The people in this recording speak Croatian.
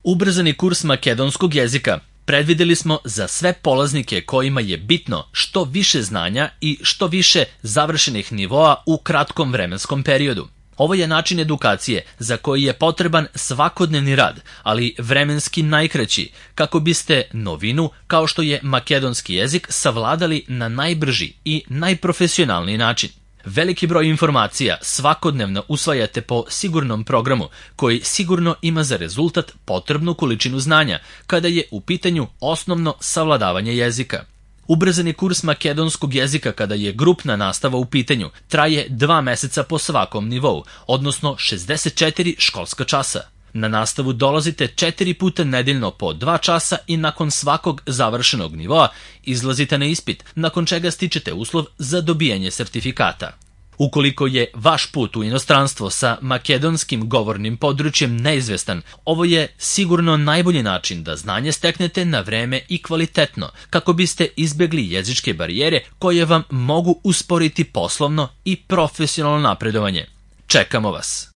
Ubrzani kurs makedonskog jezika predvideli smo za sve polaznike kojima je bitno što više znanja i što više završenih nivoa u kratkom vremenskom periodu. Ovo je način edukacije za koji je potreban svakodnevni rad, ali vremenski najkraći, kako biste novinu, kao što je makedonski jezik, savladali na najbrži i najprofesionalniji način. Veliki broj informacija svakodnevno usvajate po sigurnom programu koji sigurno ima za rezultat potrebnu količinu znanja kada je u pitanju osnovno savladavanje jezika. Ubrzani kurs makedonskog jezika kada je grupna nastava u pitanju traje 2 meseca po svakom nivou, odnosno 64 školska časa. Na nastavu dolazite 4 puta nedeljno po 2 časa i nakon svakog završenog nivoa izlazite na ispit, nakon čega stičete uslov za dobijanje sertifikata. Ukoliko je vaš put u inostranstvo sa makedonskim govornim područjem neizvestan, ovo je sigurno najbolji način da znanje steknete na vreme i kvalitetno, kako biste izbegli jezičke barijere koje vam mogu usporiti poslovno i profesionalno napredovanje. Čekamo vas!